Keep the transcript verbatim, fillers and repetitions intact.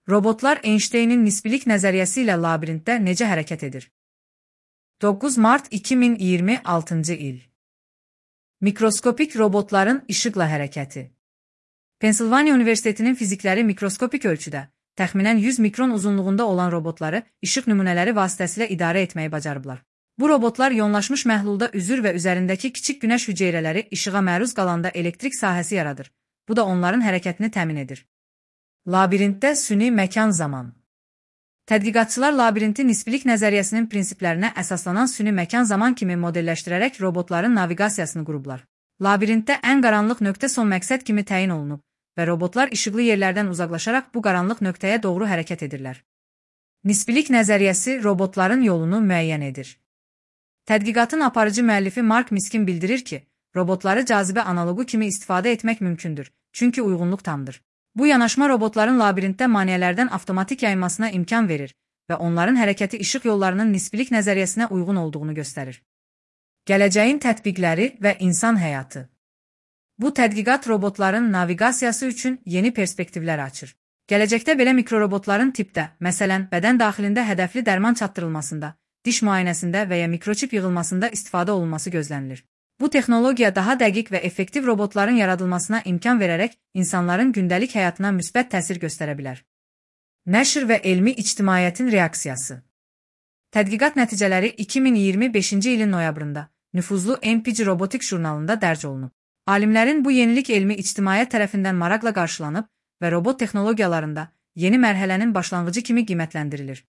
Robotlar Einstein'in nisbilik nəzəriyyəsi ilə labirintdə necə hərəkət edir? doqquz mart iki min iyirmi altıncı il. Mikroskopik robotların işıqla hərəkəti. Pensilvaniya Universitetinin fizikləri mikroskopik ölçüdə, təxminən yüz mikron uzunluğunda olan robotları işıq nümunələri vasitəsilə idarə etməyi bacarıblar. Bu robotlar yoğunlaşmış məhlulda üzür və üzərindəki kiçik günəş hüceyrələri işığa məruz qalanda elektrik sahəsi yaradır. Bu da onların hərəkətini təmin edir. Labirintdə süni məkan zaman. Tədqiqatçılar labirinti nisbilik nəzəriyyəsinin prinsiplərinə əsaslanan süni məkan zaman kimi modelləşdirərək robotların naviqasiyasını qurublar. Labirintdə ən qaranlıq nöqtə son məqsəd kimi təyin olunub və robotlar işıqlı yerlərdən uzaqlaşaraq bu qaranlıq nöqtəyə doğru hərəkət edirlər. Nisbilik nəzəriyyəsi robotların yolunu müəyyən edir. Tədqiqatın aparıcı müəllifi Mark Miskin bildirir ki, robotları cazibə analogu kimi istifadə etmək mümkündür, çünki uyğunluq tamdır. Bu yanaşma robotların labirintdə maneələrdən avtomatik yayılmasına imkan verir və onların hərəkəti işıq yollarının nisbilik nəzəriyyəsinə uyğun olduğunu göstərir. Gələcəyin tətbiqləri və insan həyatı. Bu tədqiqat robotların naviqasiyası üçün yeni perspektivlər açır. Gələcəkdə belə mikrorobotların tipdə, məsələn, bədən daxilində hədəfli dərman çatdırılmasında, diş müayinəsində və ya mikroçip yığılmasında istifadə olunması gözlənilir. Bu texnologiya daha dəqiq və effektiv robotların yaradılmasına imkan verərək insanların gündəlik həyatına müsbət təsir göstərə bilər. Nəşr və elmi ictimaiyyətin reaksiyası. Tədqiqat nəticələri iki min iyirmi beşinci ilin noyabrında nüfuzlu N P G Robotics jurnalında dərc olunub. Alimlərin bu yenilik elmi ictimaiyyət tərəfindən maraqla qarşılanıb və robot texnologiyalarında yeni mərhələnin başlanğıcı kimi qiymətləndirilir.